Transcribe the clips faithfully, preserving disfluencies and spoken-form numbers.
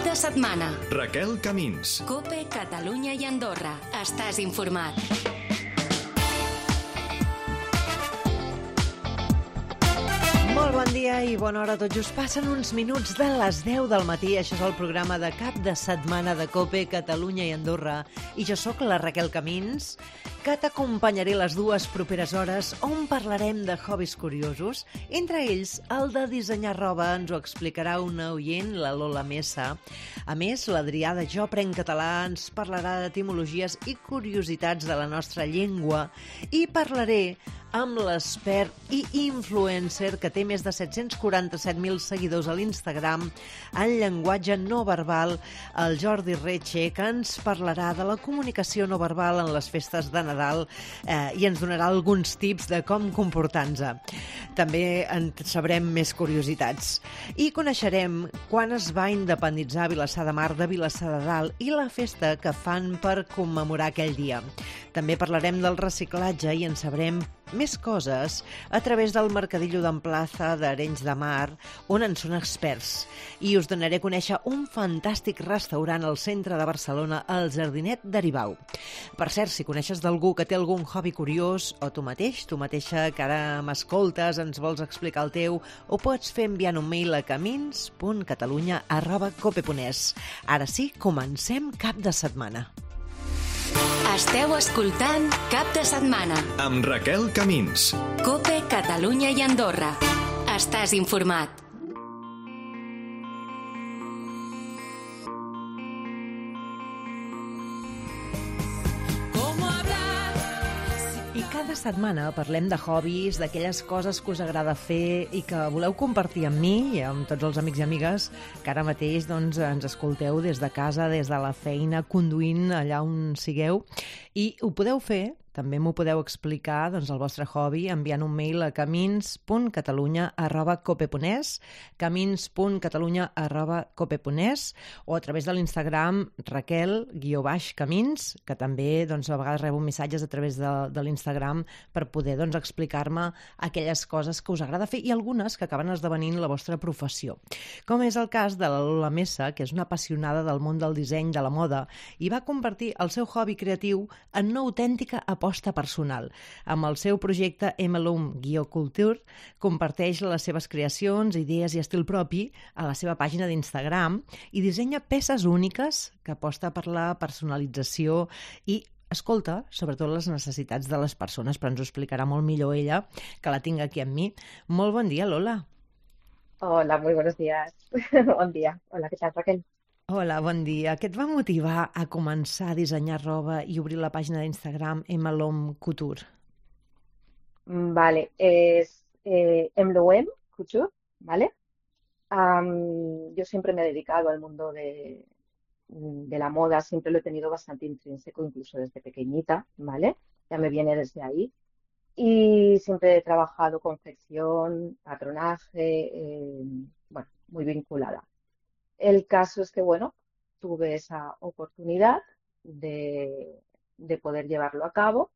de setmana. Raquel Camins. COPE, Catalunya i Andorra. Estàs informat. Molt bon dia i bona hora. Tot just passen uns minuts de les deu del matí. Això és el programa de cap de setmana de COPE, Catalunya i Andorra. I jo sóc la Raquel Camins, que t'acompanyaré les dues properes hores on parlarem de hobbies curiosos. Entre ells, el de dissenyar roba ens ho explicarà una oient, la Lola Mesa. A més, l'Adrià de Jo Aprenc Català ens parlarà d'etimologies i curiositats de la nostra llengua. I parlaré amb l'expert i influencer que té més de set-cents quaranta-set mil seguidors a l'Instagram en llenguatge no verbal, el Jordi Retxe, que ens parlarà de la comunicació no verbal en les festes de Nadal eh, i ens donarà alguns tips de com comportar-nos. També en sabrem més curiositats. I coneixerem quan es va independitzar Vilassar de Mar de Vilassar de Dalt i la festa que fan per commemorar aquell dia. També parlarem del reciclatge i en sabrem més coses a través del Mercadillo d'Amplaza d'Arenys de Mar, on en són experts. I us donaré a conèixer un fantàstic restaurant al centre de Barcelona, el Jardinet d'Aribau. Per cert, si coneixes d'algú que té algun hobby curiós, o tu mateix, tu mateixa que ara m'escoltes, ens vols explicar el teu, ho pots fer enviant un mail a camins punt catalunya arroba cope punt es. Ara sí, comencem cap de setmana. Esteu escoltant Cap de Setmana amb Raquel Camins. COPE, Catalunya i Andorra. Estàs informat. I cada setmana parlem de hobbies, d'aquelles coses que us agrada fer i que voleu compartir amb mi i amb tots els amics i amigues que ara mateix doncs, ens escolteu des de casa, des de la feina, conduint allà on sigueu. I ho podeu fer, també m'ho podeu explicar, doncs, el vostre hobby, enviant un mail a camins punt catalunya arroba cope punt es, camins punt catalunya arroba cope punt es, o a través de l'Instagram Raquel guió baix Camins, que també doncs, a vegades rebo missatges a través de, de l'Instagram per poder doncs, explicar-me aquelles coses que us agrada fer i algunes que acaben esdevenint la vostra professió. Com és el cas de la Lola Mesa, que és una apassionada del món del disseny, de la moda, i va convertir el seu hobby creatiu en una autèntica aposta personal. Amb el seu projecte Emelum-Culture comparteix les seves creacions, idees i estil propi a la seva pàgina d'Instagram i dissenya peces úniques que aposta per la personalització i escolta, sobretot les necessitats de les persones, però ens ho explicarà molt millor ella, que la tinc aquí amb mi. Molt bon dia, Lola. Hola, muy buenos días. Bon dia. Hola, ¿qué tal, Raquel? Hola, bon dia. Què et va motivar a començar a dissenyar roba i obrir la pàgina d'Instagram Emelum Couture? Vale, es eh, Emloem Couture, ¿vale? Am, yo siempre me he dedicado al mundo de, de la moda, siempre lo he tenido bastante intrínseco, incluso desde pequeñita, ¿vale? Ya me viene desde ahí. Y siempre he trabajado confección, patronaje, eh, bueno, muy vinculada. El caso es que, bueno, tuve esa oportunidad de, de poder llevarlo a cabo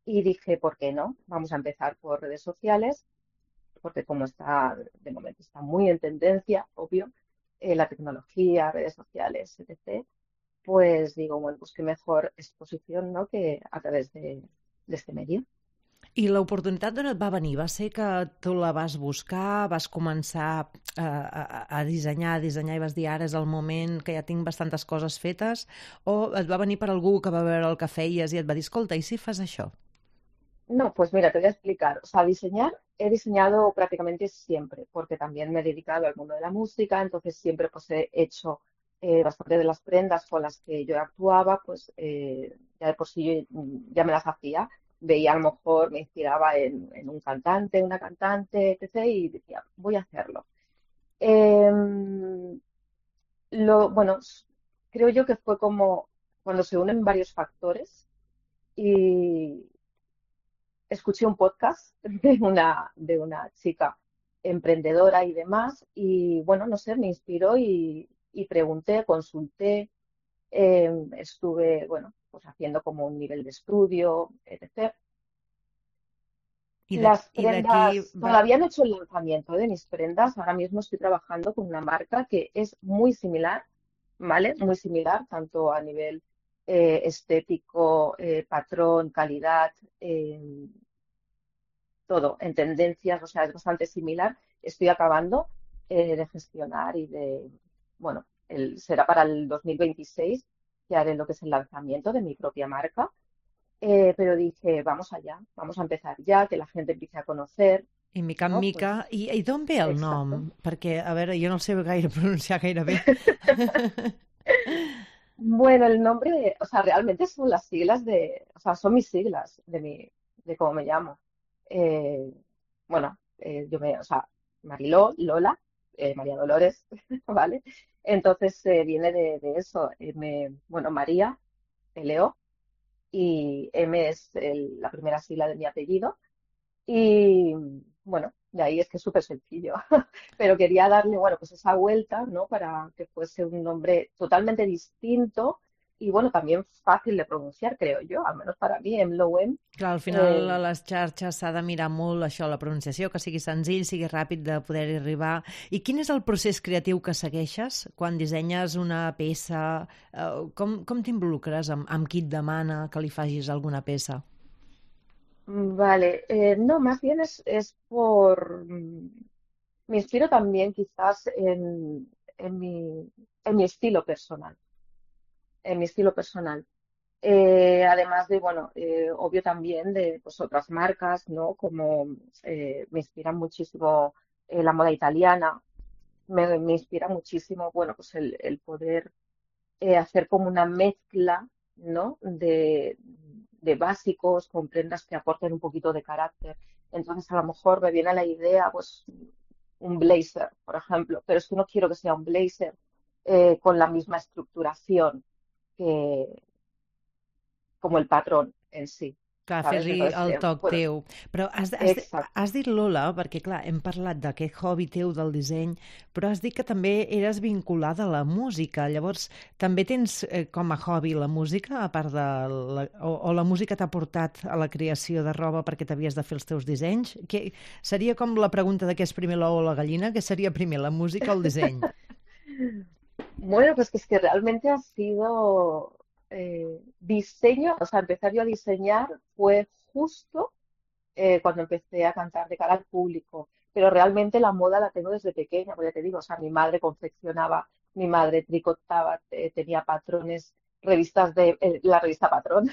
y dije, ¿por qué no? Vamos a empezar por redes sociales, porque como está, de momento está muy en tendencia, obvio, eh, la tecnología, redes sociales, etcétera, pues digo, bueno, pues qué mejor exposición, ¿no?, que a través de, de este medio. I l'oportunitat d'on et va venir? Va ser que tu la vas buscar, vas començar a, a, a dissenyar, a dissenyar i vas dir ara és el moment que ja tinc bastantes coses fetes, o et va venir per algú que va veure el que feies i et va dir, escolta, i si fas això? No, pues mira, te voy a explicar. O sea, diseñar he diseñado prácticamente siempre, porque también me he dedicado al mundo de la música, entonces siempre pues he hecho eh, bastante de las prendas con las que yo actuaba, pues eh, ya de por sí yo ya me las hacía. Veía a lo mejor, me inspiraba en, en un cantante, una cantante, etcétera, y decía, voy a hacerlo. Eh, lo, bueno, creo yo que fue como cuando se unen varios factores y escuché un podcast de una, de una chica emprendedora y demás, y bueno, no sé, me inspiró y, y pregunté, consulté, eh, estuve, bueno, pues haciendo como un nivel de estudio, etcétera. Y de, Las y de prendas, aquí va... todavía no he hecho el lanzamiento de mis prendas, ahora mismo estoy trabajando con una marca que es muy similar, ¿vale? Muy similar, tanto a nivel eh, estético, eh, patrón, calidad, eh, todo en tendencias, o sea, es bastante similar. Estoy acabando eh, de gestionar y de, bueno, el, será para el dos mil veintiséis que haré lo que es el lanzamiento de mi propia marca. Eh, pero dije, vamos allá, vamos a empezar ya, que la gente empiece a conocer, I mica en ¿no? mica... Pues, I, i d'on ve el nom? exacto. Perquè, a veure, jo no el sé gaire pronunciar gaire bé. Bueno, el nombre, o sea, realmente son las siglas de, o sea, son mis siglas de mi, de cómo me llamo. Eh, bueno, eh, yo me, o sea, Mariló, Lola, eh, María Dolores, ¿vale? Entonces eh, viene de, de eso. eh, me- bueno, María, Leo, y M es el- la primera sigla de mi apellido. Y bueno, de ahí es que es súper sencillo. Pero quería darle, bueno, pues esa vuelta, ¿no? Para que fuese un nombre totalmente distinto y, bueno, también fácil de pronunciar, creo yo, al menos para mí, Emloem. Clar, al final Eh, a les xarxes s'ha de mirar molt això, la pronunciació, que sigui senzill, sigui ràpid de poder-hi arribar. I quin és el procés creatiu que segueixes quan dissenyes una peça? Eh, com com t'involucres? Amb, amb qui et demana que li facis alguna peça? vale, eh, no, más bien es, es por... mm, Me inspiro también quizás en, en mi, en mi estilo personal, en mi estilo personal. Eh, además de, bueno, eh, obvio también de pues, otras marcas, ¿no? Como eh, me inspira muchísimo eh, la moda italiana, me, me inspira muchísimo, bueno, pues el, el poder eh, hacer como una mezcla, ¿no? De, de básicos con prendas que aporten un poquito de carácter. Entonces, a lo mejor me viene la idea, pues, un blazer, por ejemplo, pero es que no quiero que sea un blazer eh, con la misma estructuración que como el patrón en sí, Clar, ¿sabes? fer-li Entonces, el eh, toc bueno, teu. Però has, has, exacto. has dit Lola, perquè clar, hem parlat d'aquest hobby teu del disseny, però has dit que també eres vinculada a la música. Llavors, també tens eh, com a hobby la música, a part de... La, o, o la música t'ha portat a la creació de roba perquè t'havies de fer els teus dissenys? Que, seria com la pregunta de què és primer l'ou o la gallina, que seria primer la música o el disseny? Bueno, pues que es que realmente ha sido eh, diseño, o sea, empezar yo a diseñar fue justo eh, cuando empecé a cantar de cara al público, pero realmente la moda la tengo desde pequeña, porque ya te digo, o sea, mi madre confeccionaba, mi madre tricotaba, eh, tenía patrones, revistas de, eh, la revista Patrón,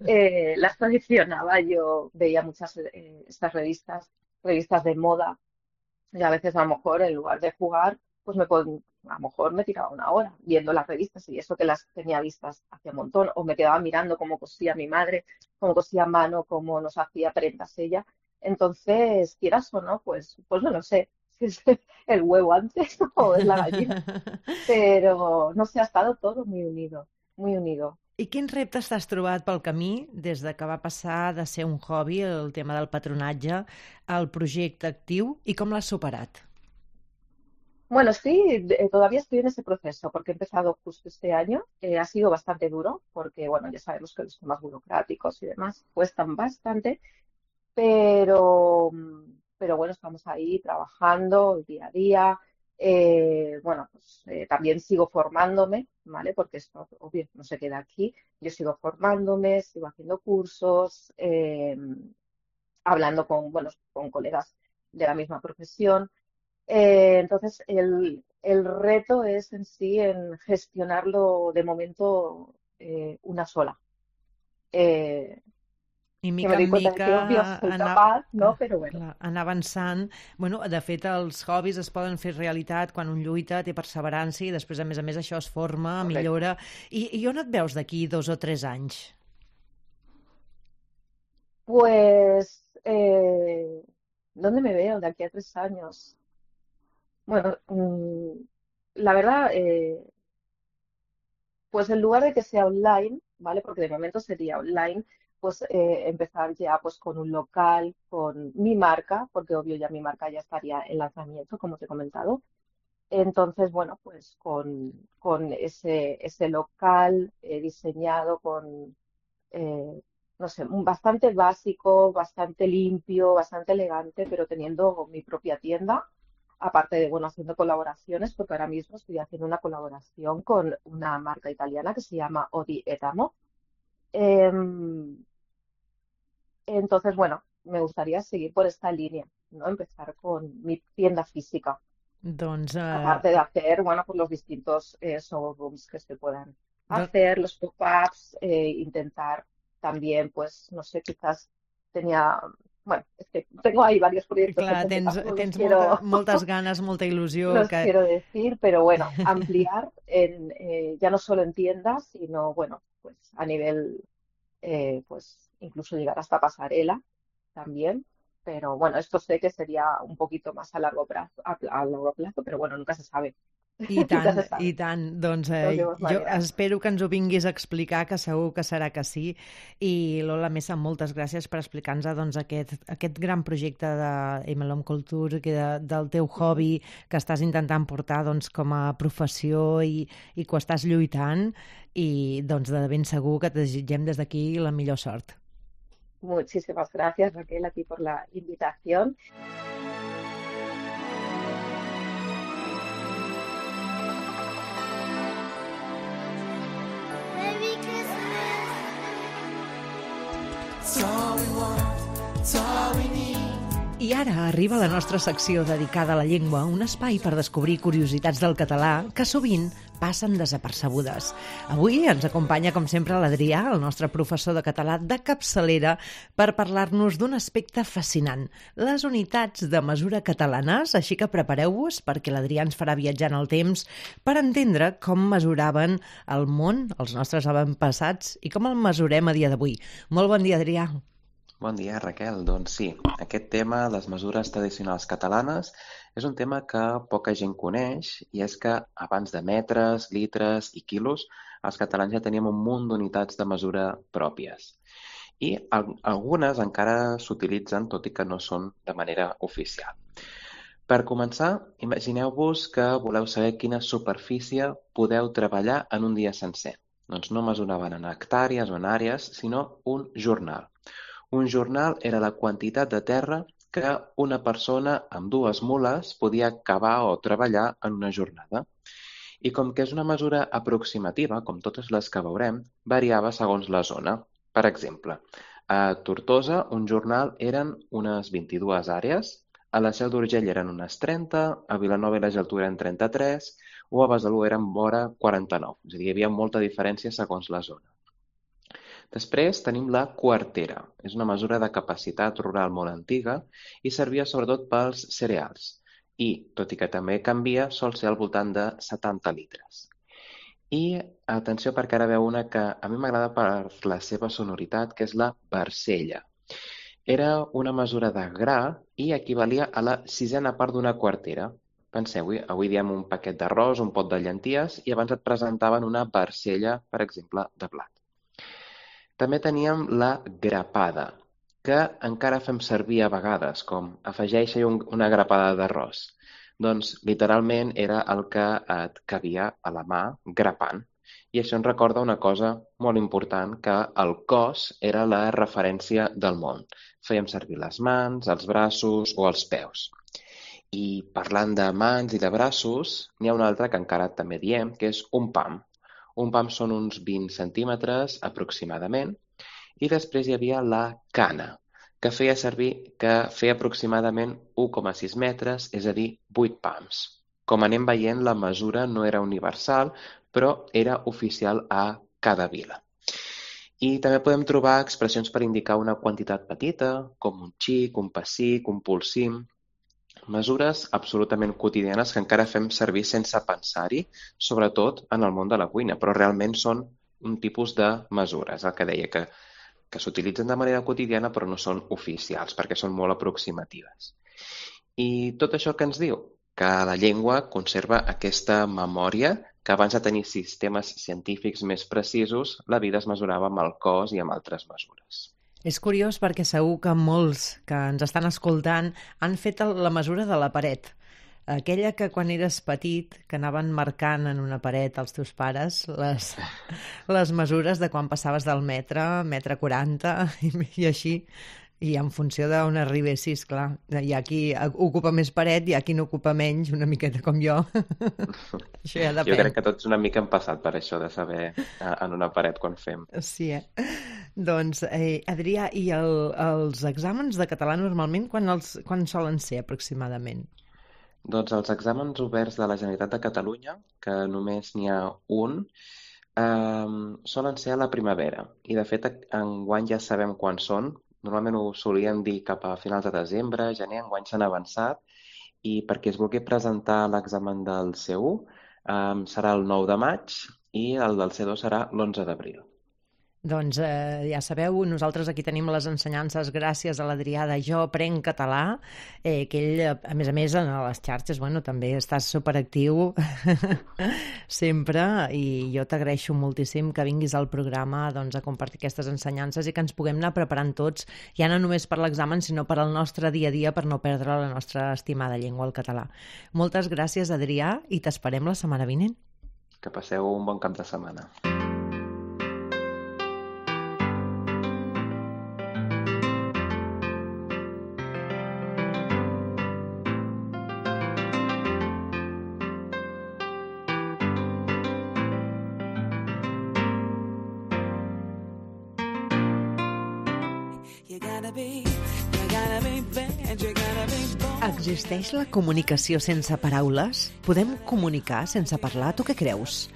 eh, las coleccionaba, yo veía muchas eh, estas revistas, revistas de moda, y a veces a lo mejor en lugar de jugar, pues me pon- a lo mejor me tiraba una hora viendo las revistas y eso que las tenía vistas hacía un montón, o me quedaba mirando cómo cosía mi madre, cómo cosía a mano, cómo nos hacía prendas ella. Entonces, quieras o no, pues, pues no lo sé si es el huevo antes o es la gallina, pero no sé, ha estado todo muy unido, muy unido. I quins reptes t'has trobat pel camí des de que va passar de ser un hobby, el tema del patronatge, al projecte actiu, i com l'has superat? Bueno, sí, de- todavía estoy en ese proceso porque he empezado justo este año. Eh, ha sido bastante duro porque, bueno, ya sabemos que los temas burocráticos y demás cuestan bastante, pero, mm, pero bueno, estamos ahí trabajando día a día. Eh, bueno, pues eh, también sigo formándome, ¿vale? Porque esto, obvio, no se queda aquí. Yo sigo formándome, sigo haciendo cursos, eh, hablando con, bueno, con colegas de la misma profesión. Eh, entonces, el, el reto es en sí en gestionarlo de momento eh, una sola. Eh, I que me mica doy en cuenta de mica que obvio soy anar, capaz, ¿no? ah, Pero bueno, clar, anar avançant. Bueno, de fet, els hobbies es poden fer realitat quan un lluita, té perseverança i després, a més a més, això es forma, correcto. millora. I, i on et veus d'aquí dos o tres anys? Pues, eh, ¿dónde me veo de aquí a tres años? Bueno, mm, la verdad, eh, pues en lugar de que sea online, ¿vale? Porque de momento sería online, pues eh, empezar ya pues con un local, con mi marca, porque obvio ya mi marca ya estaría en lanzamiento, como te he comentado. Entonces, bueno, pues con, con ese, ese local eh, diseñado con, eh, no sé, un- bastante básico, bastante limpio, bastante elegante, pero teniendo mi propia tienda aparte de, bueno, haciendo colaboraciones, porque ahora mismo estoy haciendo una colaboración con una marca italiana que se llama Odi et Amo. Em, entonces, bueno, me gustaría seguir por esta línea, ¿no? Empezar con mi tienda física, Doncs, eh, aparte de hacer, bueno, pues los distintos eh, showrooms que se puedan do- hacer, los pop-ups, eh, intentar también, pues, no sé, quizás tenía, bueno, es que tengo ahí varios proyectos en clar, mente, tens, tampoco los tens quiero, molta, moltes ganes, molta il·lusió, los que quiero decir, pero bueno, ampliar en, eh, ya no solo en tiendas, sino, bueno, pues a nivel, eh, pues incluso llegar hasta pasarela también. Pero bueno, esto sé que sería un poquito más a largo plazo, a, a largo plazo, pero bueno, nunca se sabe. i Nunca tant, se i sabe. tant. Doncs eh, Tenemos jo maneras. espero que ens ho vinguis a explicar, que segur que serà que sí. I Lola Mesa, moltes gràcies per explicar-nos doncs, aquest, aquest gran projecte de M L M Culture, que de, del teu hobby, que estàs intentant portar doncs, com a professió i, i que ho estàs lluitant. I doncs, de ben segur que te desitgem des d'aquí la millor sort. Muchísimas gracias, Raquel, a ti por la invitación. Merry Christmas. I ara arriba la nostra secció dedicada a la llengua, un espai per descobrir curiositats del català que sovint passen desapercebudes. Avui ens acompanya, com sempre, l'Adrià, el nostre professor de català de capçalera, per parlar-nos d'un aspecte fascinant, les unitats de mesura catalanes, així que prepareu-vos perquè l'Adrià ens farà viatjar en el temps per entendre com mesuraven el món, els nostres avantpassats, i com el mesurem a dia d'avui. Molt bon dia, Adrià. Bon dia, Raquel. Doncs sí, aquest tema, les mesures tradicionals catalanes, és un tema que poca gent coneix, i és que abans de metres, litres i quilos, els catalans ja teníem un munt d'unitats de mesura pròpies. I al- algunes encara s'utilitzen, tot i que no són de manera oficial. Per començar, imagineu-vos que voleu saber quina superfície podeu treballar en un dia sencer. Doncs no mesuraven en hectàrees o en àrees, sinó un jornal. Un jornal era la quantitat de terra que una persona amb dues mules podia cavar o treballar en una jornada. I com que és una mesura aproximativa, com totes les que veurem, variava segons la zona. Per exemple, a Tortosa un jornal eren unes vint-i-dues àrees, a la Seu d'Urgell eren unes trenta, a Vilanova i la Geltrú eren trenta-tres o a Besalú eren vora quaranta-nou. És a dir, hi havia molta diferència segons la zona. Després tenim la quartera. És una mesura de capacitat rural molt antiga i servia sobretot pels cereals. I, tot i que també canvia, sol ser al voltant de setanta litres. I atenció perquè ara veu una que a mi m'agrada per la seva sonoritat, que és la barcella. Era una mesura de gra i equivalia a la sisena part d'una quartera. Penseu-hi, avui diem un paquet d'arròs, un pot de llenties, i abans et presentaven una barcella, per exemple, de blat. També teníem la grapada, que encara fem servir a vegades, com afegeix-hi un, una grapada d'arròs. Doncs literalment era el que et cabia a la mà grapant. I això ens recorda una cosa molt important, que el cos era la referència del món. Fèiem servir les mans, els braços o els peus. I parlant de mans i de braços, n'hi ha un altre que encara també diem, que és un pam. Un pam són uns vint centímetres aproximadament, i després hi havia la cana, que feia servir, que feia aproximadament u coma sis metres, és a dir, vuit pams. Com anem veient, la mesura no era universal, però era oficial a cada vila. I també podem trobar expressions per indicar una quantitat petita, com un xic, un pessic, un polsim. Mesures absolutament quotidianes que encara fem servir sense pensar-hi, sobretot en el món de la cuina, però realment són un tipus de mesures, el que deia, que, que s'utilitzen de manera quotidiana però no són oficials, perquè són molt aproximatives. I tot això que ens diu? Que la llengua conserva aquesta memòria, que abans de tenir sistemes científics més precisos, la vida es mesurava amb el cos i amb altres mesures. És curiós perquè segur que molts que ens estan escoltant han fet la mesura de la paret. Aquella que quan eres petit, que anaven marcant en una paret els teus pares les, les mesures de quan passaves del metre, metre quaranta i, i així. I en funció d'on arribessis, clar, hi ha qui ocupa més paret, hi ha qui no ocupa menys, una miqueta com jo. Això ja depèn. Jo crec que tots una mica hem passat per això de saber en una paret quan fem. Sí, eh? Doncs, eh, Adrià, i el, els exàmens de català normalment quan, els, quan solen ser aproximadament? Doncs els exàmens oberts de la Generalitat de Catalunya, que només n'hi ha un, eh, solen ser a la primavera. I de fet, enguany ja sabem quan són. Normalment ho solien dir cap a finals de desembre, gener, enguany s'han avançat, i perquè es vulgui presentar l'examen del C u eh, serà el nou de maig i el del C dos serà l'onze d'abril. Doncs eh, ja sabeu, nosaltres aquí tenim les ensenyances gràcies a l'Adrià de Jo Aprenc Català, eh, que ell, a més a més, a les xarxes, bueno, també estàs superactiu sempre, i jo t'agraeixo moltíssim que vinguis al programa doncs, a compartir aquestes ensenyances i que ens puguem anar preparant tots, ja no només per l'examen, sinó per al nostre dia a dia, per no perdre la nostra estimada llengua, el català. Moltes gràcies, Adrià, i t'esperem la setmana vinent. Que passeu un bon cap de setmana. Existeix la comunicació sense paraules? Podem comunicar sense parlar? Tu què creus?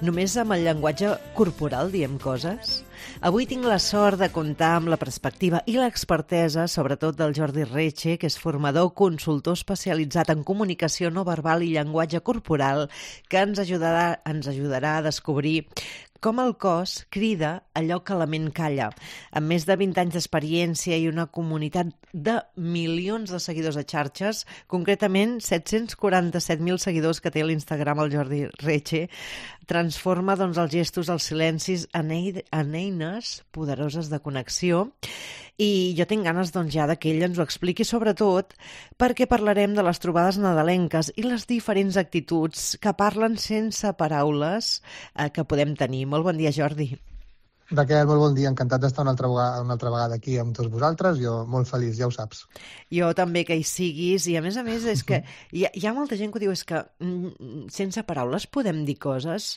Només amb el llenguatge corporal diem coses? Avui tinc la sort de comptar amb la perspectiva i l'expertesa, sobretot del Jordi Reche, que és formador, consultor especialitzat en comunicació no verbal i llenguatge corporal, que ens ajudarà, ens ajudarà a descobrir com el cos crida allò que la ment calla. Amb més de vint anys d'experiència i una comunitat de milions de seguidors a xarxes, concretament set-cents quaranta-set mil seguidors que té a l'Instagram el Jordi Reche, transforma doncs, els gestos, els silencis en, en eines poderoses de connexió. I jo tinc ganes doncs, ja que ell ens ho expliqui, sobretot perquè parlarem de les trobades nadalenques i les diferents actituds que parlen sense paraules eh, que podem tenir. Molt bon dia, Jordi. Raquel, molt bon dia. Encantat d'estar una altra, vegada, una altra vegada aquí amb tots vosaltres. Jo molt feliç, ja ho saps. Jo també que hi siguis. I a més a més és que hi ha, hi ha molta gent que diu és que mm, sense paraules podem dir coses.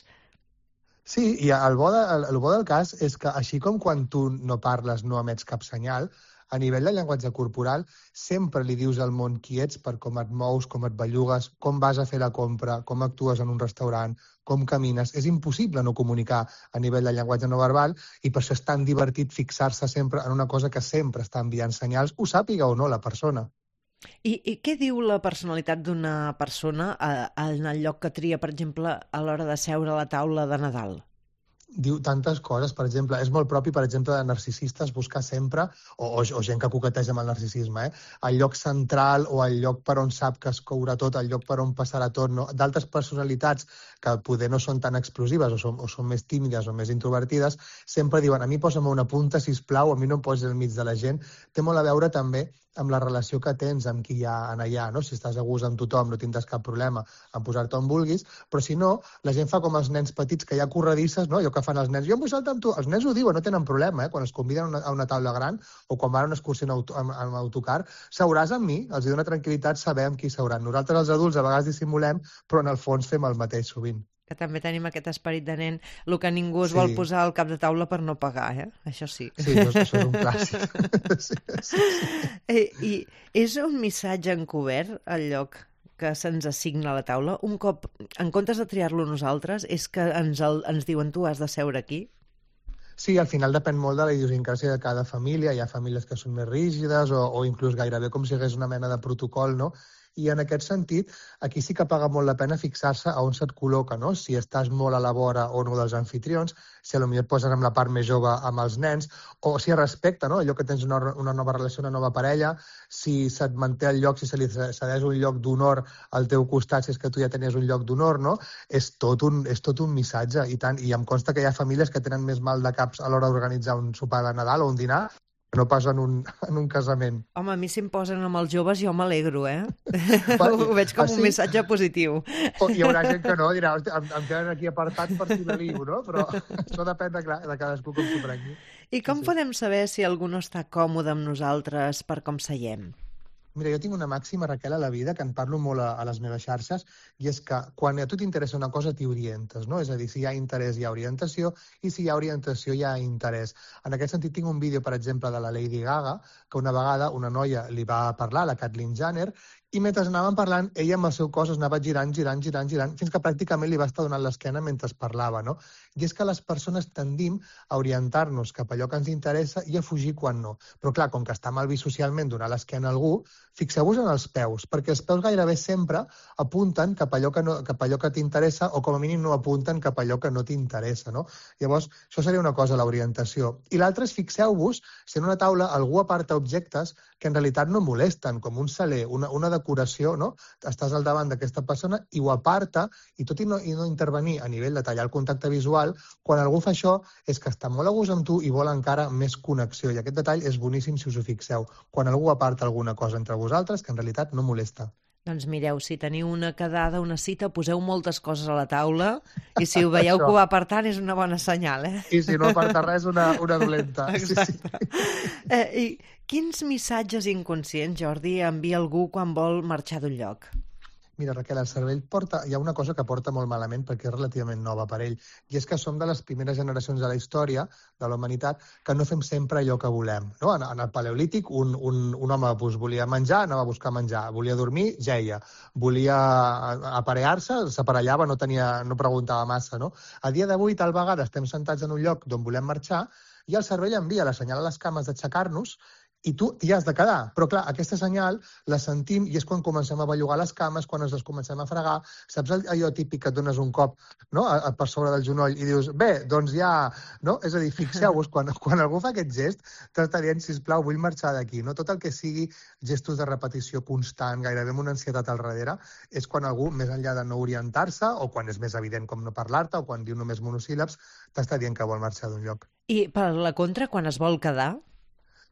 Sí, i el bo, de, el, el bo del cas és que així com quan tu no parles no emets cap senyal, a nivell de llenguatge corporal sempre li dius al món qui ets per com et mous, com et bellugues, com vas a fer la compra, com actues en un restaurant, com camines. És impossible no comunicar a nivell de llenguatge no verbal i per això és tan divertit fixar-se sempre en una cosa que sempre està enviant senyals, ho sàpiga o no la persona. I, I què diu la personalitat d'una persona a, a, en el lloc que tria, per exemple, a l'hora de seure a la taula de Nadal? Diu tantes coses, per exemple, és molt propi, per exemple, de narcisistes buscar sempre, o, o, o gent que coqueteja amb el narcisisme, eh? el lloc central o el lloc per on sap que es courà tot, el lloc per on passarà tot. No? D'altres personalitats que poder no són tan explosives o són, o són més tímides o més introvertides, sempre diuen, a mi posa'm una punta, sisplau, a mi no em posis al mig de la gent. Té molt a veure també amb la relació que tens amb qui hi ha en allà, no? Si estàs a gust amb tothom no tindràs cap problema en posar-te on vulguis, però si no, la gent fa com els nens petits que hi ha corredisses, no? Allò que fan els nens, jo em vull saltar amb tu, els nens ho diuen, no tenen problema, eh? Quan es conviden a una, a una taula gran o quan van a una excursió en, auto, en, en autocar, seuràs amb mi, els dona tranquil·litat saber amb qui seuran. Nosaltres els adults a vegades dissimulem, però en el fons fem el mateix sovint. Que també tenim aquest esperit de nen, el que ningú es sí. vol posar al cap de taula per no pagar, eh? Això sí. Sí, això, això és un clàssic. sí, sí, sí. I, I és un missatge encobert el lloc que se'ns assigna a la taula? Un cop, en comptes de triar-lo nosaltres, és que ens, el, ens diuen tu has de seure aquí? Sí, al final depèn molt de la idiosincràsia de cada família. Hi ha famílies que són més rígides o, o inclús gairebé com si hagués una mena de protocol, no? I en aquest sentit, aquí sí que paga molt la pena fixar-se a on se't col·loca, no? Si estàs molt a la vora o no dels anfitrions, si potser et posen amb la part més jove amb els nens, o si es respecta, no? Allò que tens una, una nova relació, una nova parella, si se't manté el lloc, si se li cedeix un lloc d'honor al teu costat, si és que tu ja tenies un lloc d'honor, no? És tot un, és tot un missatge, i tant. I em consta que hi ha famílies que tenen més mal de caps a l'hora d'organitzar un sopar de Nadal o un dinar, no pas en un, en un casament. Home, a mi si em posen amb els joves jo m'alegro, eh? Va, Ho veig com ah, un sí? missatge positiu. O hi haurà gent que no, dirà, "Hosti, em, em tenen aquí apartat per si me ligo, no? Però això depèn de, clar, de cadascú com s'ho prengui. I com Sí. podem saber si algú no està còmode amb nosaltres per com seiem? Mira, jo tinc una màxima, Raquel, a la vida, que en parlo molt a, a les meves xarxes, i és que quan a tu t'interessa una cosa, t'hi orientes, no? És a dir, si hi ha interès, hi ha orientació, i si hi ha orientació, hi ha interès. En aquest sentit, tinc un vídeo, per exemple, de la Lady Gaga, que una vegada una noia li va parlar, la Caitlyn Jenner, i mentre anaven parlant, ella amb el seu cos es anava girant, girant, girant, girant, fins que pràcticament li va estar donant l'esquena mentre es parlava, no? I és que les persones tendim a orientar-nos cap a allò que ens interessa i a fugir quan no. Però clar, com que està mal vist socialment donar l'esquena a algú, fixeu-vos en els peus, perquè els peus gairebé sempre apunten cap a allò que, no, cap a allò que t'interessa o com a mínim no apunten cap a allò que no t'interessa, no? Llavors, això seria una cosa, l'orientació. I l'altra és, fixeu-vos, si en una taula algú aparta objectes que en realitat no molesten, com un saler, una, una decoració, no? Estàs al davant d'aquesta persona i ho aparta, i tot i no, i no intervenir a nivell de tallar el contacte visual, quan algú fa això és que està molt a gust amb tu i vol encara més connexió. I aquest detall és boníssim si us ho fixeu. Quan algú aparta alguna cosa entre vosaltres que en realitat no molesta. Doncs mireu, si teniu una quedada, una cita, poseu moltes coses a la taula i si ho veieu Això. que ho va apartant és una bona senyal, eh? I si no aparta res, una, una dolenta. Sí, sí. eh I quins missatges inconscients, Jordi, envia algú quan vol marxar d'un lloc? Mira, Raquel, el cervell porta... Hi ha una cosa que porta molt malament perquè és relativament nova per ell, i és que som de les primeres generacions de la història de la humanitat que no fem sempre allò que volem. No? En, en el paleolític, un, un, un home doncs, volia menjar, anava a buscar menjar. Volia dormir, jeia. Volia aparellar-se, s'aparellava, no, tenia, no preguntava massa. No? A dia d'avui, tal vegada, estem sentats en un lloc d'on volem marxar i el cervell envia la senyal a les cames d'aixecar-nos i tu t'hi has de quedar. Però, clar, aquesta senyal la sentim i és quan comencem a bellugar les cames, quan ens les comencem a fregar. Saps allò típic que et dones un cop, no?, a, a per sobre del genoll i dius, bé, doncs ja... No? És a dir, fixeu-vos, quan, quan algú fa aquest gest, t'està dient, sisplau, vull marxar d'aquí. No? Tot el que sigui gestos de repetició constant, gairebé amb una ansietat al darrere, és quan algú, més enllà de no orientar-se, o quan és més evident com no parlar-te, o quan diu només monosíl·labs, t'està dient que vol marxar d'un lloc. I per la contra, quan es vol quedar?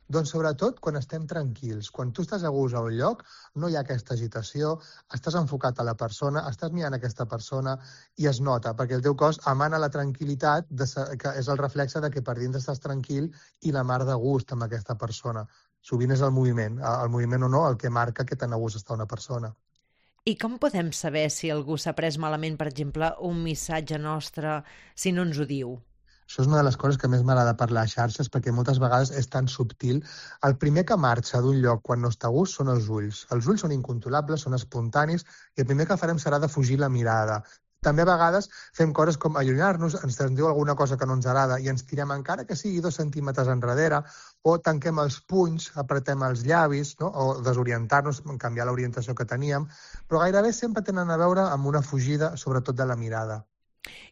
Doncs sobretot quan estem tranquils. Quan tu estàs a gust a un lloc, no hi ha aquesta agitació, estàs enfocat a la persona, estàs mirant aquesta persona i es nota, perquè el teu cos emana la tranquil·litat, de, que és el reflexe de que per dins estàs tranquil i la mar de gust amb aquesta persona. Sovint és el moviment, el moviment o no, el que marca que tan a gust està una persona. I com podem saber si algú s'ha pres malament, per exemple, un missatge nostre, si no ens ho diu? Això és una de les coses que més m'agrada parlar a xarxes, perquè moltes vegades és tan subtil. El primer que marxa d'un lloc quan no està a gust són els ulls. Els ulls són incontrolables, són espontanis, i el primer que farem serà de fugir la mirada. També a vegades fem coses com allunyar-nos, ens diu alguna cosa que no ens agrada i ens tirem encara que sigui dos centímetres enrere, o tanquem els punys, apretem els llavis, no? O desorientar-nos, canviar l'orientació que teníem, però gairebé sempre tenen a veure amb una fugida, sobretot de la mirada.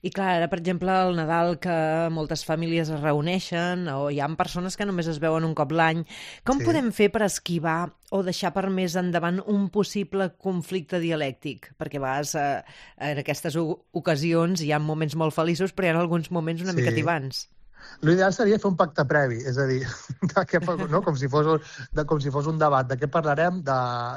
I clar, ara, per exemple, al Nadal, que moltes famílies es reuneixen o hi ha persones que només es veuen un cop l'any, com Sí. podem fer per esquivar o deixar per més endavant un possible conflicte dialèctic? Perquè a vegades eh, en aquestes ocasions hi ha moments molt feliços, però hi ha alguns moments una Sí. mica tibants. L'ideal seria fer un pacte previ, és a dir, de què, no? com, si fos un, de, com si fos un debat, de què parlarem, de,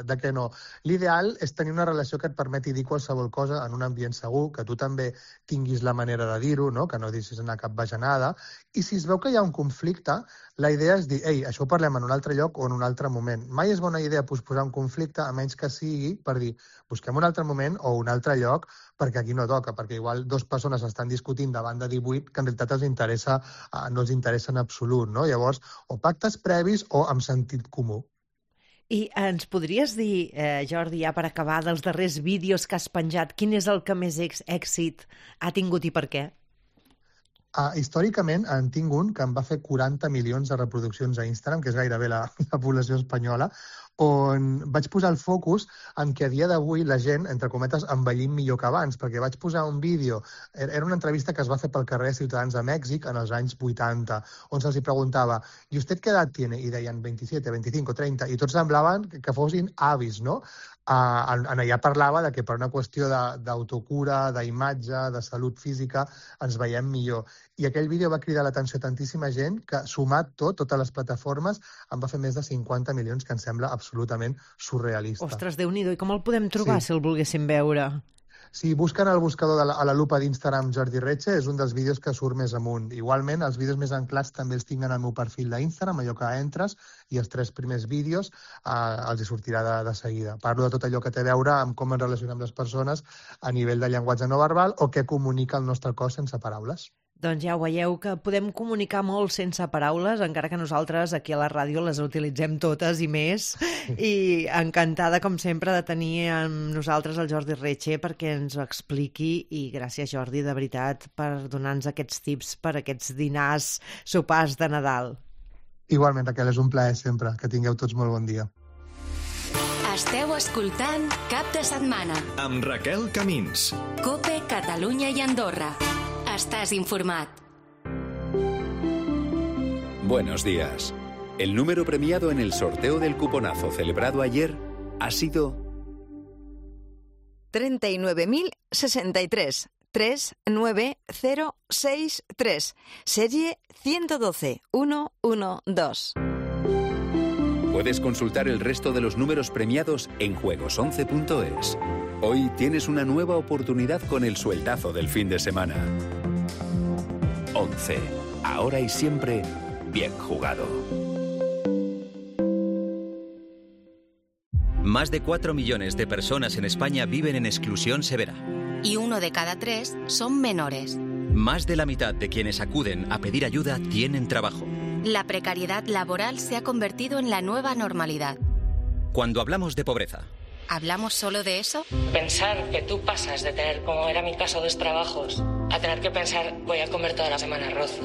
de què no. L'ideal és tenir una relació que et permeti dir qualsevol cosa en un ambient segur, que tu també tinguis la manera de dir-ho, no? Que no deixis anar cap bajanada, i si es veu que hi ha un conflicte, la idea és dir, ei, això ho parlem en un altre lloc o en un altre moment. Mai és bona idea posposar un conflicte, a menys que sigui per dir, busquem un altre moment o un altre lloc, perquè aquí no toca, perquè igual dues persones estan discutint davant de divuit que en realitat els interessa, no els interessa en absolut, no? Llavors, o pactes previs o amb sentit comú. I ens podries dir, eh, Jordi, ja per acabar, dels darrers vídeos que has penjat, quin és el que més èxit ha tingut i per què? Uh, històricament en tinc un que em va fer quaranta milions de reproduccions a Instagram, que és gairebé la, la població espanyola, on vaig posar el focus en què a dia d'avui la gent, entre cometes, envellim millor que abans, perquè vaig posar un vídeo, era una entrevista que es va fer pel carrer Ciutadans de Mèxic en els anys vuitanta, on se'ls preguntava ¿y usted qué edad tiene? I deien veintisiete, veinticinco, treinta, i tots semblaven que fossin avis, no? Uh, en, en allà parlava de que per una qüestió d'autocura, d'imatge, de salut física, ens veiem millor. I aquell vídeo va cridar l'atenció a tantíssima gent que, sumat tot, totes les plataformes, em va fer més de cinquanta milions, que em sembla absolutament surrealista. Ostres, Déu-n'hi-do, i com el podem trobar, sí. si el volguéssim veure? Si busquen al buscador de la, a la lupa d'Instagram Jordi Retxe, és un dels vídeos que surt més amunt. Igualment, els vídeos més anclats també els tinc en el meu perfil d'Instagram, allò que entres, i els tres primers vídeos eh, els hi sortirà de, de seguida. Parlo de tot allò que té a veure amb com ens relacionem les persones a nivell de llenguatge no verbal o què comunica el nostre cos sense paraules. Doncs ja ho veieu, que podem comunicar molt sense paraules, encara que nosaltres aquí a la ràdio les utilitzem totes i més. I encantada, com sempre, de tenir amb nosaltres el Jordi Retxe perquè ens ho expliqui. I gràcies, Jordi, de veritat, per donar-nos aquests tips per aquests dinars, sopars de Nadal. Igualment, Raquel, és un plaer sempre. Que tingueu tots molt bon dia. Esteu escoltant Cap de Setmana amb Raquel Camins. COPE Catalunya i Andorra. Estás informat. Buenos días. El número premiado en el sorteo del cuponazo celebrado ayer ha sido treinta y nueve mil sesenta y tres, tres nueve cero seis tres, serie ciento doce, uno uno dos. Puedes consultar el resto de los números premiados en juegos once punto es. Hoy tienes una nueva oportunidad con el sueldazo del fin de semana. once. Ahora y siempre, bien jugado. Más de cuatro millones de personas en España viven en exclusión severa. Y uno de cada tres son menores. Más de la mitad de quienes acuden a pedir ayuda tienen trabajo. La precariedad laboral se ha convertido en la nueva normalidad. Cuando hablamos de pobreza, ¿hablamos solo de eso? Pensar que tú pasas de tener, como era mi caso, dos trabajos, a tener que pensar, voy a comer toda la semana arroz.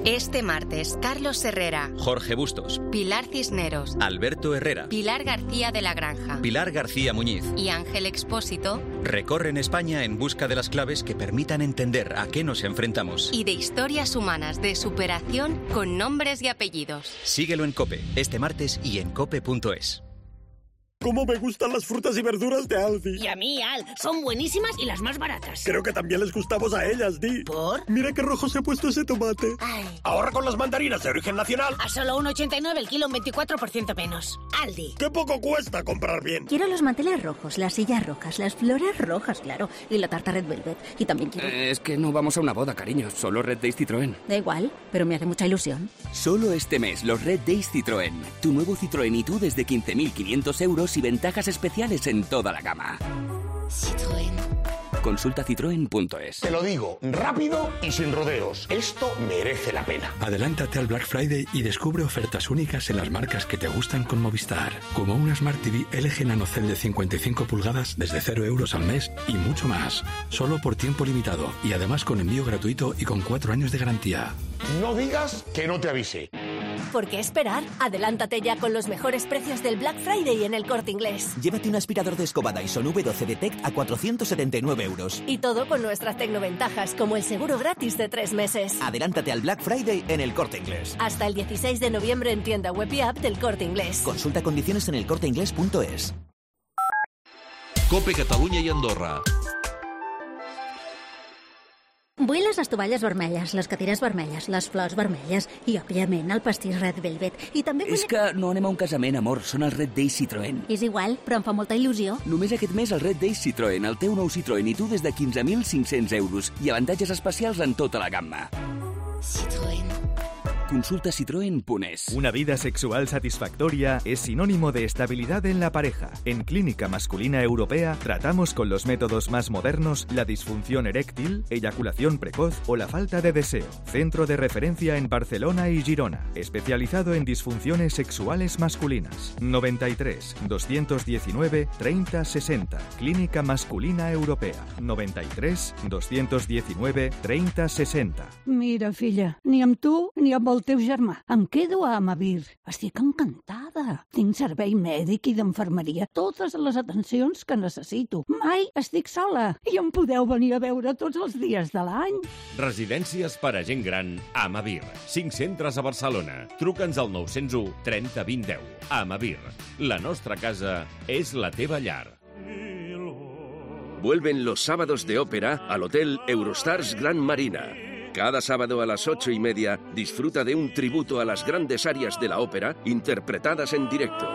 Este martes, Carlos Herrera, Jorge Bustos, Pilar Cisneros, Alberto Herrera, Pilar García de la Granja, Pilar García Muñiz y Ángel Expósito recorren España en busca de las claves que permitan entender a qué nos enfrentamos. Y de historias humanas de superación con nombres y apellidos. Síguelo en COPE, este martes y en cope punto es. ¡Cómo me gustan las frutas y verduras de Aldi! Y a mí, Al. Son buenísimas y las más baratas. Creo que también les gustamos a ellas, Di. ¿Por? Mira qué rojo se ha puesto ese tomate. Ay. Ahorra con las mandarinas de origen nacional. A solo uno ochenta y nueve el kilo, un veinticuatro por ciento menos. Aldi. ¡Qué poco cuesta comprar bien! Quiero los manteles rojos, las sillas rojas, las flores rojas, claro, y la tarta Red Velvet. Y también quiero... Eh, es que no vamos a una boda, cariño. Solo Red Days Citroën. Da igual, pero me hace mucha ilusión. Solo este mes, los Red Days Citroën. Tu nuevo Citroën y tú desde quince mil quinientos euros y ventajas especiales en toda la gama. Citroën. Consulta citroen punto es. Te lo digo, rápido y sin rodeos. Esto merece la pena. Adelántate al Black Friday y descubre ofertas únicas en las marcas que te gustan con Movistar. Como una Smart T V L G NanoCell de cincuenta y cinco pulgadas desde cero euros al mes y mucho más. Solo por tiempo limitado y además con envío gratuito y con cuatro años de garantía. No digas que no te avise. ¿Por qué esperar? Adelántate ya con los mejores precios del Black Friday en el Corte Inglés. Llévate un aspirador de escoba Dyson V doce Detect a cuatrocientos setenta y nueve euros. Y todo con nuestras tecnoventajas, como el seguro gratis de tres meses. Adelántate al Black Friday en el Corte Inglés. Hasta el dieciséis de noviembre en tienda web y app del Corte Inglés. Consulta condiciones en el corte inglés punto es. COPE Catalunya i Andorra. Vull les estovalles vermelles, les cadires vermelles, les flors vermelles i, òbviament, el pastís Red Velvet. I també vull... És que no anem a un casament, amor. Són els Red Days Citroën. És igual, però em fa molta il·lusió. Només aquest mes el Red Days Citroën, el teu nou Citroën i tu des de quinze mil cinc-cents euros i avantatges especials en tota la gamma. Citroën. Consulta citroen punto es. Una vida sexual satisfactoria es sinónimo de estabilidad en la pareja. En Clínica Masculina Europea tratamos con los métodos más modernos la disfunción eréctil, eyaculación precoz o la falta de deseo. Centro de referencia en Barcelona y Girona, especializado en disfunciones sexuales masculinas. noventa y tres, doscientos diecinueve, treinta sesenta. Clínica Masculina Europea. noventa y tres, doscientos diecinueve, treinta sesenta. Mira, filla, ni amb tu ni amb el el teu germà. Em quedo a Amavir. Estic encantada. Tinc servei mèdic i d'infermeria, totes les atencions que necessito. Mai estic sola i em podeu venir a veure tots els dies de l'any. Residències per a gent gran a Amavir. Cinc centres a Barcelona. Truca'ns al nou zero u trenta vint deu. Amavir. La nostra casa és la teva llar. Vuelven los sábados de ópera al Hotel Eurostars Gran Marina. Cada sábado a las ocho y media disfruta de un tributo a las grandes arias de la ópera interpretadas en directo.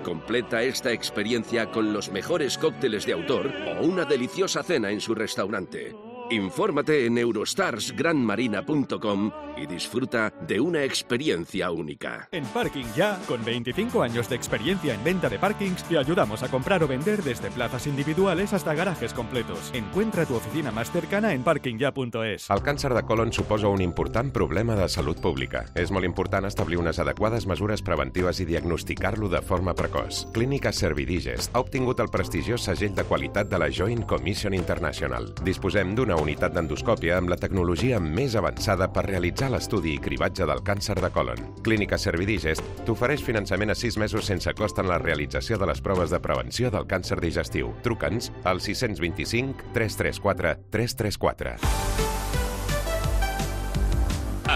Completa esta experiencia con los mejores cócteles de autor o una deliciosa cena en su restaurante. Infórmate en eurostars gran marina punto com y disfruta de una experiencia única. En Parking Ya, con veinticinco años de experiencia en venta de parkings, te ayudamos a comprar o vender desde plazas individuales hasta garajes completos. Encuentra tu oficina más cercana en parking ya punto es. El càncer de colon suposa un important problema de salut pública. És molt important establir unes adequades mesures preventives i diagnosticar-lo de forma precoç. Clínica Servidigest ha obtingut el prestigiós segell de qualitat de la Joint Commission International. Disposem d'una unitat d'endoscòpia amb la tecnologia més avançada per realitzar l'estudi i cribatge del càncer de colon. Clínica Servidigest t'ofereix finançament a sis mesos sense cost en la realització de les proves de prevenció del càncer digestiu. Truca'ns al sis dos cinc, tres tres quatre, tres tres quatre.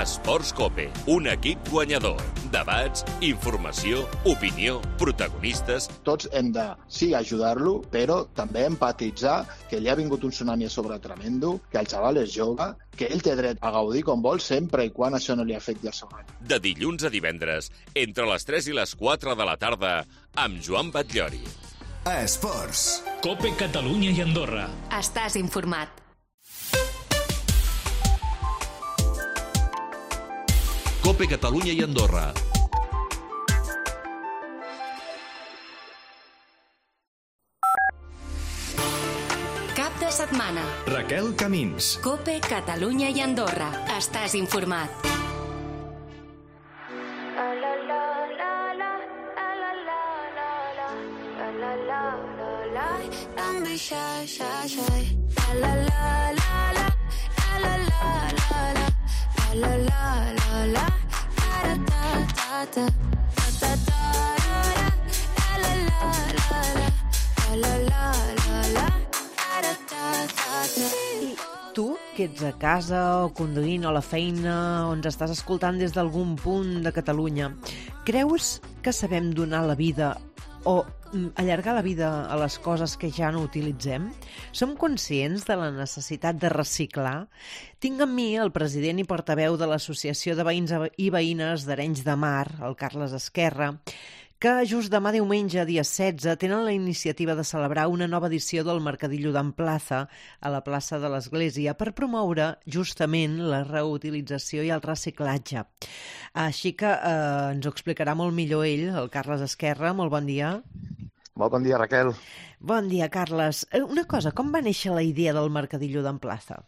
Esports Cope, un equip guanyador. Debats, informació, opinió, protagonistes... Tots hem de, sí, ajudar-lo, però també empatitzar que li ha vingut un tsunami a sobre tremendo, que el xaval és jove, que ell té dret a gaudir com vol sempre i quan això no li afecti el seu any. De dilluns a divendres, entre les tres i les quatre de la tarda, amb Joan Batllori. Esports. Cope Catalunya i Andorra. Estàs informat. Cope Catalunya i Andorra. Cap de setmana. Raquel Camins. Cope Catalunya i Andorra. Estàs informat. Tu, que ets a casa o conduint o a la feina o ens estàs escoltant des d'algun punt de Catalunya, creus que sabem donar la vida o allargar la vida a les coses que ja no utilitzem? Som conscients de la necessitat de reciclar? Tinc amb mi el president i portaveu de l'Associació de Veïns i Veïnes d'Arenys de Mar, el Carles Esquerra, que just demà diumenge, dia setze, tenen la iniciativa de celebrar una nova edició del Mercadillo d'Amplaza a la plaça de l'Església per promoure justament la reutilització i el reciclatge. Així que eh, ens ho explicarà molt millor ell, el Carles Esquerra. Molt bon dia. Molt bon dia, Raquel. Bon dia, Carles. Una cosa, com va néixer la idea del Mercadillo d'Amplaza?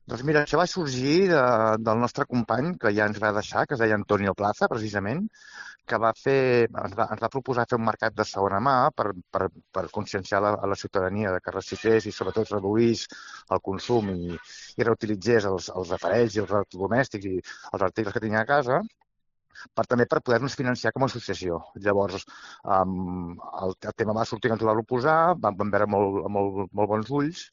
Doncs mira, això va sorgir de, del nostre company, que ja ens va deixar, que es deia Antonio Plaza, precisament, que va fer, ens, va, ens va proposar fer un mercat de segona mà per, per, per conscienciar la, a la ciutadania de que reciclés i sobretot reduís el consum i, i reutilitzés els, els aparells i els electrodomèstics i els articles que tenia a casa, per també per poder-nos financiar com a associació. Llavors, um, el, el tema va sortir que ens ho va proposar, vam, vam veure molt, molt, molt bons ulls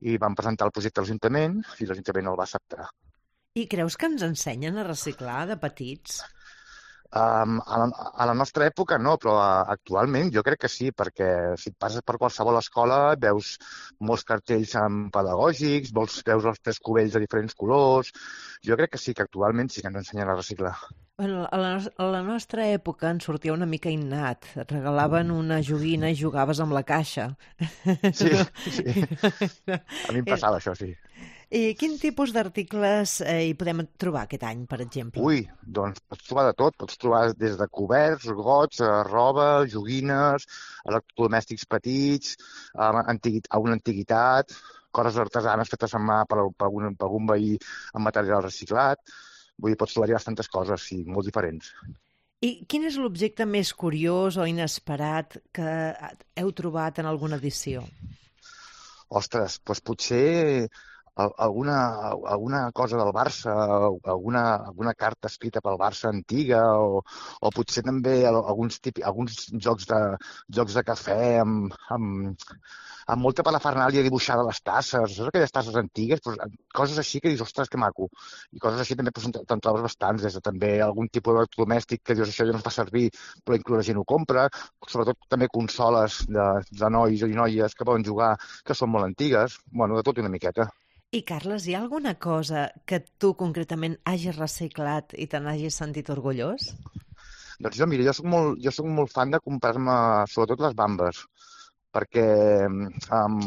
i vam presentar el projecte a l'Ajuntament i l'Ajuntament el va acceptar. I creus que ens ensenyen a reciclar de petits? Um, a, la, a la nostra època no, però uh, actualment jo crec que sí, perquè si et passes per qualsevol escola veus molts cartells pedagògics, veus, veus els tres cubells de diferents colors. Jo crec que sí, que actualment sí que ens ensenyen a reciclar. Bueno, a, la, a la nostra època ens sortia una mica innat. Et regalaven una joguina i jugaves amb la caixa. Sí, sí. A mi em passava això, sí. I quin tipus d'articles eh, hi podem trobar aquest any, per exemple? Ui, doncs pots trobar de tot. Pots trobar des de coberts, gots, roba, joguines, electrodomèstics petits, a una antiguitat, coses artesanes fetes a mà per, per, algun, per algun veí amb material reciclat. Vull dir, pots trobar-hi bastantes coses, sí, molt diferents. I quin és l'objecte més curiós o inesperat que heu trobat en alguna edició? Ostres, doncs potser alguna, alguna cosa del Barça, alguna, alguna carta escrita pel Barça antiga, o, o potser també alguns, típics, alguns jocs, de, jocs de cafè amb, amb, amb molta parafernàlia dibuixada a les tasses, saps aquelles tasses antigues, doncs, coses així que dius, ostres, que maco. I coses així també doncs, te'n trobes bastants, des de també algun tipus d'electrodomèstic que dius, això ja no es fa servir, però inclús la gent ho compra, sobretot també consoles de, de nois i noies que poden jugar, que són molt antigues, bueno, de tot una miqueta. I, Carles, hi ha alguna cosa que tu concretament hagis reciclat i te n'hagis sentit orgullós? Doncs jo, mira, jo soc molt, jo soc molt fan de comprar-me, sobretot les bambes, perquè um,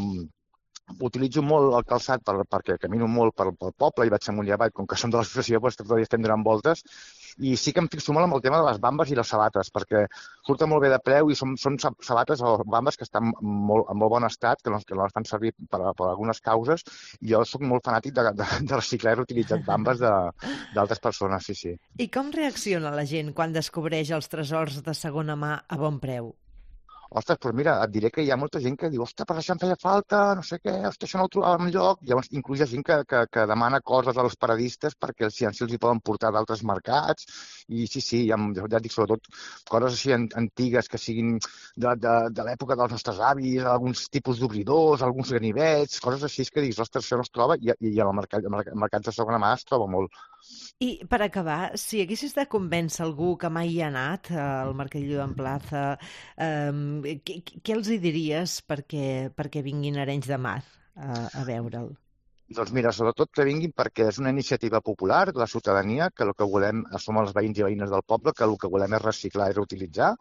utilitzo molt el calçat per, perquè camino molt pel, pel poble i vaig amunt i avall, com que som de l'associació, doncs tot el dia estem donant voltes, i sí que em fixo molt amb el tema de les bambes i les sabates, perquè surten molt bé de preu i són, són sabates o bambes que estan molt, en molt bon estat, que no, que no les fan servir per, per algunes causes, i jo soc molt fanàtic de, de, de reciclar i reutilitzar bambes d'altres persones, sí, sí. I com reacciona la gent quan descobreix els tresors de segona mà a bon preu? Ostres, doncs mira, et diré que hi ha molta gent que diu, ostres, però això em feia falta, no sé què, ostres, això no ho trobava enlloc. Llavors, inclús hi ha gent que, que, que demana coses als paradistes perquè si els hi poden portar d'altres mercats. I sí, sí, ja, ja et dic, sobretot, coses així antigues que siguin de, de, de l'època dels nostres avis, alguns tipus d'obridors, alguns ganivets, coses així que dius, ostres, això no es troba, i, i en el mercat, el mercat de segona mà es troba molt. I per acabar, si haguessis de convèncer algú que mai hi ha anat al Mercadillo d'Amplaza, eh, què, què els hi diries perquè, perquè vinguin a Arenys de Mar a, a veure'l? Doncs mira, sobretot que vinguin perquè és una iniciativa popular de la ciutadania, que el que volem, som els veïns i veïnes del poble, que el que volem és reciclar i reutilitzar,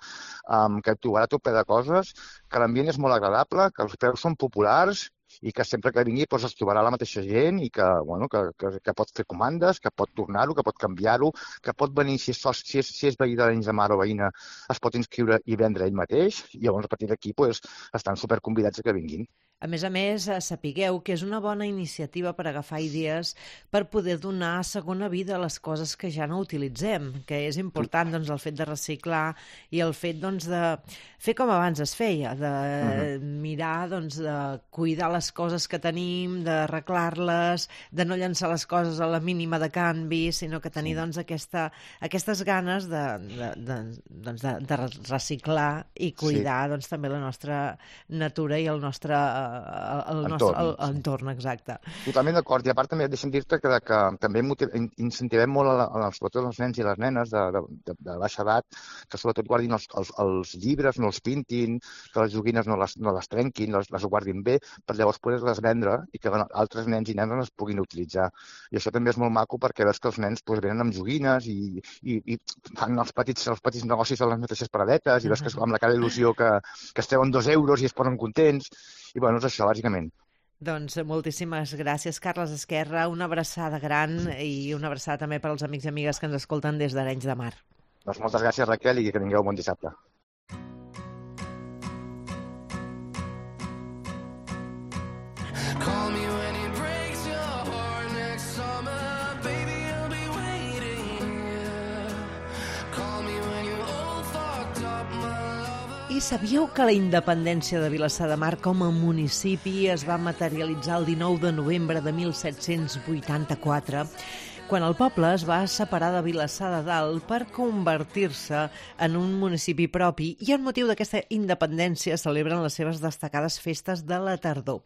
um, que trobarà tot ple de coses, que l'ambient és molt agradable, que els preus són populars, i que sempre que vingui doncs, es trobarà la mateixa gent i que, bueno, que, que, que pot fer comandes, que pot tornar-ho, que pot canviar-ho, que pot venir, si és, si és, si és veí d'Arenys de Mar o veïna, es pot inscriure i vendre ell mateix, i llavors a partir d'aquí doncs, estan superconvidats a que vinguin. A més a més, sapigueu que és una bona iniciativa per agafar idees per poder donar segona vida a les coses que ja no utilitzem, que és important doncs, el fet de reciclar i el fet doncs, de fer com abans es feia, de uh-huh. mirar, doncs, de cuidar les coses que tenim, d'arreglar-les, de no llançar les coses a la mínima de canvi, sinó que tenir doncs, aquesta, aquestes ganes de, de, de, doncs, de, de reciclar i cuidar sí. doncs, també la nostra natura i el nostre el nostre entorn, el, entorn exacte. Totalment d'acord, i a part també deixa'm dir-te que, que també incentivem molt a, a, sobretot els nens i les nenes de, de, de, de baixa edat, que sobretot guardin els, els, els llibres, no els pintin, que les joguines no les, no les trenquin, les, les guardin bé, per llavors poder-les vendre i que altres nens i nenes les puguin utilitzar. I això també és molt maco perquè veus que els nens pues, venen amb joguines i, i, i fan els petits, els petits negocis a les mateixes paradetes i veus que amb la cara il·lusió que, que es treuen dos euros i es posen contents. I bueno, és això, bàsicament. Doncs moltíssimes gràcies, Carles Esquerra. Una abraçada gran i una abraçada també per als amics i amigues que ens escolten des d'Arenys de Mar. Doncs moltes gràcies, Raquel, i que tingueu un bon dissabte. I sabíeu que la independència de Vilassar de Mar com a municipi es va materialitzar el dinou de novembre de mil set-cents vuitanta-quatre, quan el poble es va separar de Vilassar de Dalt per convertir-se en un municipi propi i en motiu d'aquesta independència celebren les seves destacades festes de la tardor.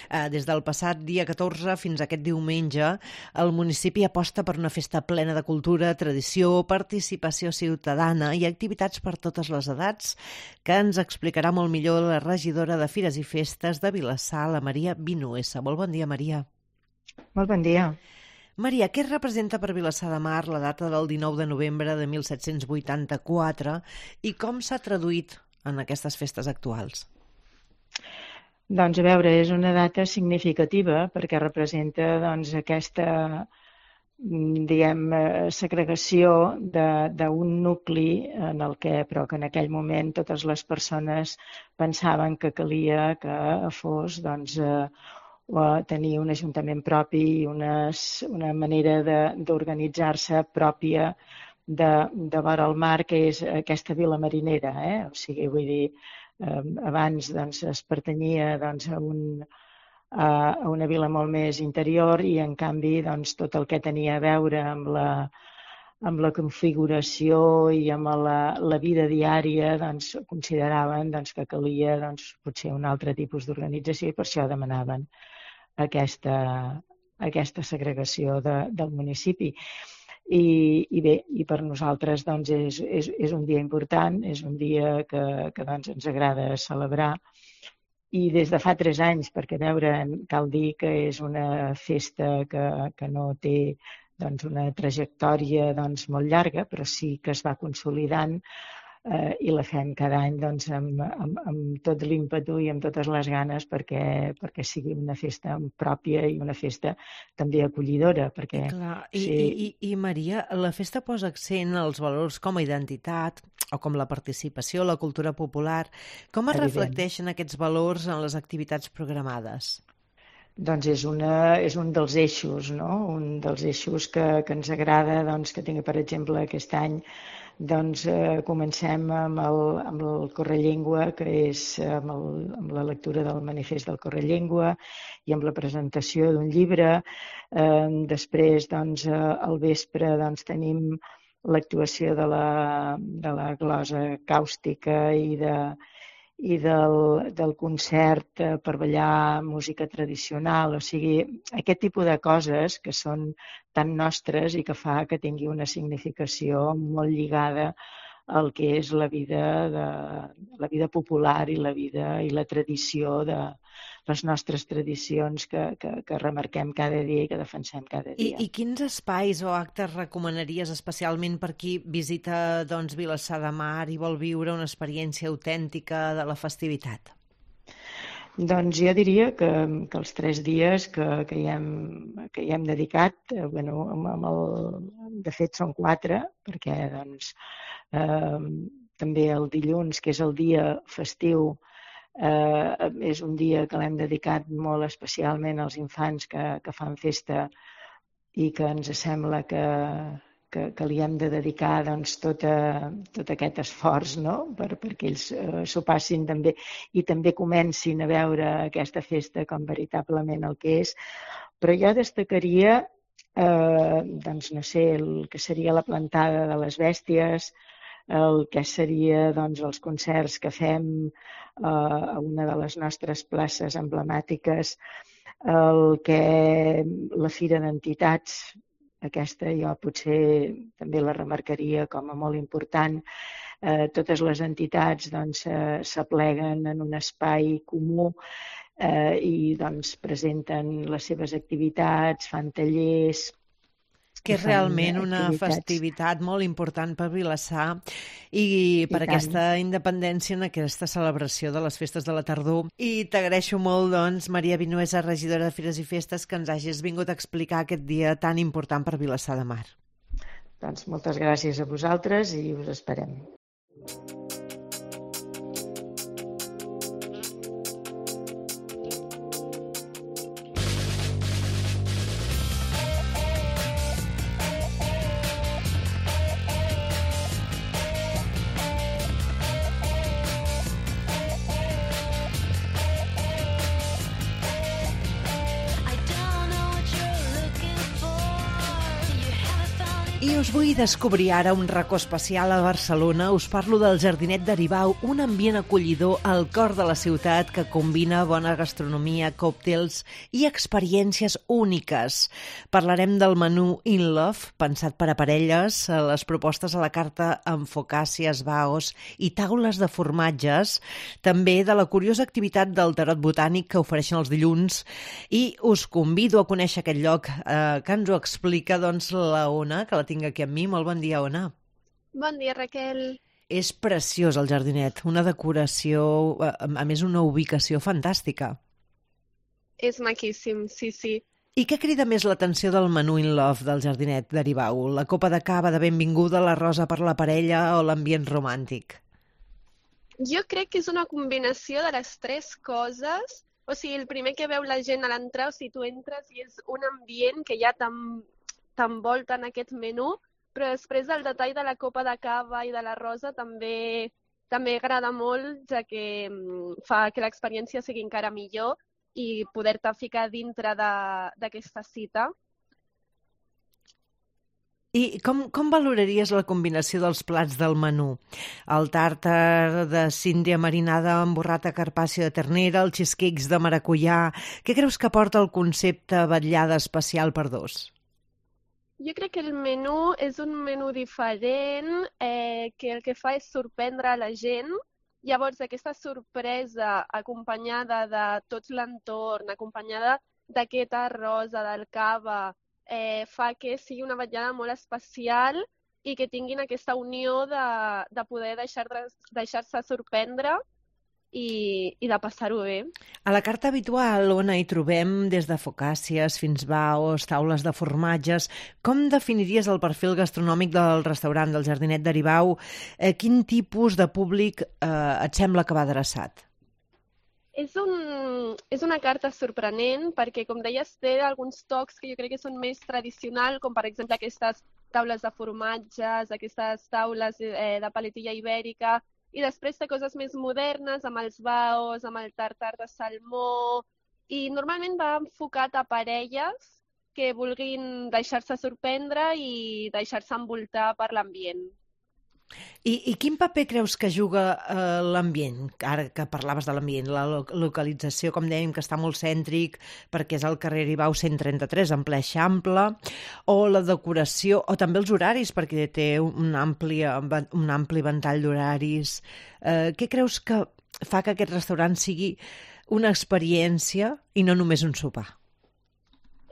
Eh, des del passat dia catorze fins a aquest diumenge, el municipi aposta per una festa plena de cultura, tradició, participació ciutadana i activitats per totes les edats, que ens explicarà molt millor la regidora de Fires i Festes de Vilassar, la Maria Vinuesa. Molt bon dia, Maria. Molt bon dia. Maria, què representa per Vilassar de Mar la data del dinou de novembre de mil set-cents vuitanta-quatre i com s'ha traduït en aquestes festes actuals? Doncs a veure, és una data significativa perquè representa doncs, aquesta diguem, segregació d'un nucli en el que, però que en aquell moment totes les persones pensaven que calia que fos doncs, tenir un ajuntament propi i unes, una manera d'organitzar-se pròpia de, de vora el mar, que és aquesta vila marinera. Eh? O sigui, vull dir, eh, abans doncs, es pertanyia doncs, a, un, a una vila molt més interior i, en canvi, doncs, tot el que tenia a veure amb la, amb la configuració i amb la, la vida diària, doncs, consideraven doncs, que calia doncs, potser un altre tipus d'organització i per això demanaven aquesta, aquesta segregació de, del municipi. I, i bé, i per nosaltres doncs, és, és, és un dia important, és un dia que, que doncs, ens agrada celebrar. I des de fa tres anys, perquè a veure, cal dir que és una festa que, que no té doncs, una trajectòria doncs, molt llarga, però sí que es va consolidant eh, i la fem cada any doncs, amb, amb, amb tot l'ímpetu i amb totes les ganes perquè, perquè sigui una festa pròpia i una festa també acollidora. Perquè, Clar, i, sí, i, i, I Maria, la festa posa accent als valors com a identitat o com la participació, la cultura popular. Com es Evident. reflecteixen aquests valors en les activitats programades? Doncs és, una, és un dels eixos, no? Un dels eixos que, que ens agrada, doncs, que tingui, per exemple, aquest any doncs, eh, comencem amb el, amb el Correllengua, que és amb, el, amb la lectura del manifest del Correllengua i amb la presentació d'un llibre. Eh, després, doncs, eh, al vespre, doncs, tenim l'actuació de la, de la glosa càustica i de i del, del concert per ballar música tradicional, o sigui, aquest tipus de coses que són tan nostres i que fa que tingui una significació molt lligada al que és la vida, de, la vida popular i la vida i la tradició de les nostres tradicions que, que, que remarquem cada dia i que defensem cada dia. I, i quins espais o actes recomanaries especialment per qui visita doncs, Vilassar de Mar i vol viure una experiència autèntica de la festivitat? Doncs jo diria que, que els tres dies que, que, hi, hem, que hi hem dedicat, eh, bueno, amb el, de fet són quatre, perquè doncs, eh, també el dilluns, que és el dia festiu, eh, és un dia que l'hem dedicat molt especialment als infants que, que fan festa i que ens sembla que, que, que li hem de dedicar doncs, tot, a, tot aquest esforç, no? per, perquè ells eh, s'ho passin també i també comencin a veure aquesta festa com veritablement el que és. Però jo destacaria eh, doncs, no sé, el que seria la plantada de les bèsties, el que seria doncs, els concerts que fem eh, a una de les nostres places emblemàtiques, el que la Fira d'Entitats, aquesta jo potser també la remarcaria com a molt important. Eh, totes les entitats doncs, eh, s'apleguen en un espai comú eh, i doncs, presenten les seves activitats, fan tallers. Que és realment una festivitat molt important per Vilassar i per I aquesta independència en aquesta celebració de les festes de la tardor. I t'agraeixo molt, doncs, Maria Vinuesa, regidora de Fires i Festes, que ens hagis vingut a explicar aquest dia tan important per Vilassar de Mar. Doncs moltes gràcies a vosaltres i us esperem. I us vull descobrir ara un racó especial a Barcelona. Us parlo del Jardinet d'Aribau, un ambient acollidor al cor de la ciutat que combina bona gastronomia, còctels i experiències úniques. Parlarem del menú In Love, pensat per a parelles, les propostes a la carta amb focàcies, baos i taules de formatges, també de la curiosa activitat del tarot botànic que ofereixen els dilluns, i us convido a conèixer aquest lloc eh, que ens ho explica doncs, la Ona, que la tinc aquí amb mi. Molt bon dia, Ona. Bon dia, Raquel. És preciós el jardinet, una decoració, a més una ubicació fantàstica. És maquíssim, sí, sí. I què crida més l'atenció del menú In Love del Jardinet d'Aribau? La copa de cava de benvinguda, la rosa per la parella o l'ambient romàntic? Jo crec que és una combinació de les tres coses. O sigui, el primer que veu la gent a l'entrar, o sigui, tu entres i és un ambient que ja t'envolta en aquest menú, però després el detall de la copa de cava i de la rosa també també agrada molt, ja que fa que l'experiència sigui encara millor. i poder-te ficar dintre d'aquesta cita. I com, com valoraries la combinació dels plats del menú? El tàrtar de síndria marinada amb burrata carpàcio de ternera, els cheesecakes de maracuyà... Què creus que aporta el concepte vetllada especial per dos? Jo crec que el menú és un menú diferent, eh, que el que fa és sorprendre la gent. Llavors, aquesta sorpresa acompanyada de tot l'entorn, acompanyada d'aquest arròs, del cava, eh, fa que sigui una vetllada molt especial i que tinguin aquesta unió de, de poder deixar-se deixar sorprendre i, i de passar-ho bé. A la carta habitual, on hi trobem des de focàcies fins baos, taules de formatges, com definiries el perfil gastronòmic del restaurant del Jardinet d'Aribau? Eh, quin tipus de públic eh, et sembla que va adreçat? És, un, és una carta sorprenent perquè, com deies, té alguns tocs que jo crec que són més tradicionals, com per exemple aquestes taules de formatges, aquestes taules eh, de paletilla ibèrica, i després té coses més modernes, amb els baos, amb el tartar de salmó, i normalment va enfocat a parelles que vulguin deixar-se sorprendre i deixar-se envoltar per l'ambient. I, I quin paper creus que juga eh, l'ambient? Ara que parlaves de l'ambient, la lo localització, com dèiem, que està molt cèntric, perquè és al carrer Aribau cent trenta-tres, en ple Eixample, o la decoració, o també els horaris, perquè té un ampli, un ampli ventall d'horaris. Eh, què creus que fa que aquest restaurant sigui una experiència i no només un sopar?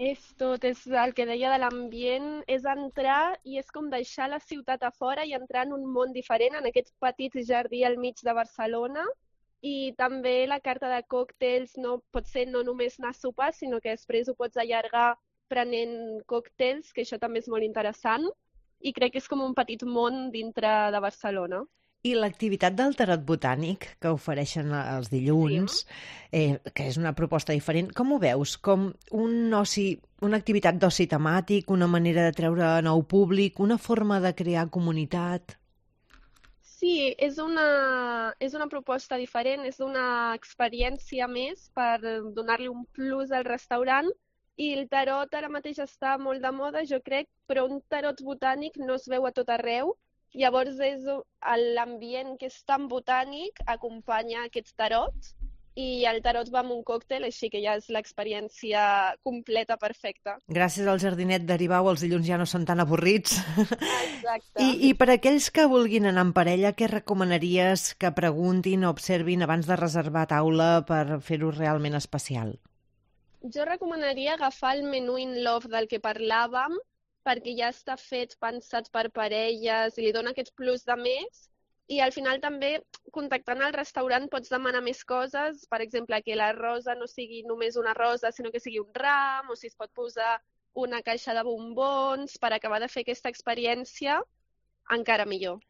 És tot, és el que deia de l'ambient, és entrar i és com deixar la ciutat a fora i entrar en un món diferent, en aquest petit jardí al mig de Barcelona. I també la carta de còctels no, pot ser no només anar a sopar, sinó que després ho pots allargar prenent còctels, que això també és molt interessant. I crec que és com un petit món dintre de Barcelona. I l'activitat del tarot botànic que ofereixen els dilluns, eh, que és una proposta diferent, com ho veus? Com un oci, una activitat d'oci temàtic, una manera de treure nou públic, una forma de crear comunitat? Sí, és una, és una proposta diferent, és una experiència més per donar-li un plus al restaurant. I el tarot ara mateix està molt de moda, jo crec, però un tarot botànic no es veu a tot arreu. Llavors, és l'ambient que és tan botànic acompanya aquest tarot i el tarot va amb un còctel, així que ja és l'experiència completa perfecta. Gràcies al Jardinet d'Aribau els dilluns ja no són tan avorrits. Exacte. I, I per aquells que vulguin anar en parella, què recomanaries que preguntin o observin abans de reservar taula per fer-ho realment especial? Jo recomanaria agafar el menú in love del que parlàvem, perquè ja està fet, pensat per parelles i li dona aquest plus de més. I al final també, contactant al restaurant, pots demanar més coses. Per exemple, que la rosa no sigui només una rosa, sinó que sigui un ram, o si es pot posar una caixa de bombons per acabar de fer aquesta experiència encara millor.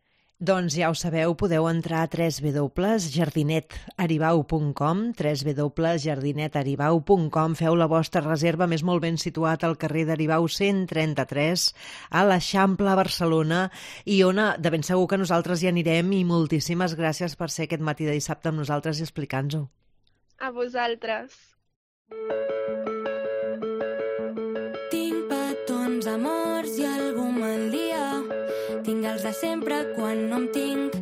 Doncs ja ho sabeu, podeu entrar a w w w punt jardinet aribau punt com, w w w punt jardinet aribau punt com, feu la vostra reserva, més molt ben situat al carrer d'Aribau cent trenta-tres, a l'Eixample, a Barcelona, i Ona, de ben segur que nosaltres hi anirem, i moltíssimes gràcies per ser aquest matí de dissabte amb nosaltres i explicar-nos-ho. A vosaltres. Tinc petons, amors i algú mal dia. Tinc els de sempre quan no em tinc.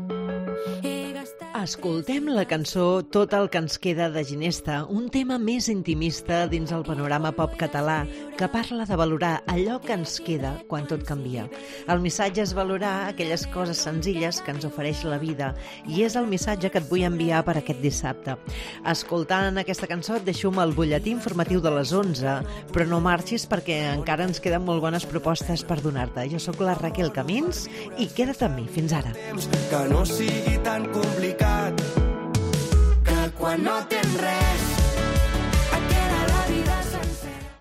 Escoltem la cançó Tot el que ens queda de Ginesta, un tema més intimista dins el panorama pop català que parla de valorar allò que ens queda quan tot canvia. El missatge és valorar aquelles coses senzilles que ens ofereix la vida i és el missatge que et vull enviar per aquest dissabte. Escoltant aquesta cançó et deixo amb el butlletí informatiu de les onze, però no marxis perquè encara ens queden molt bones propostes per donar-te. Jo sóc la Raquel Camins i queda't amb mi. Fins ara. Que no sigui tan complicat, que quan no tens res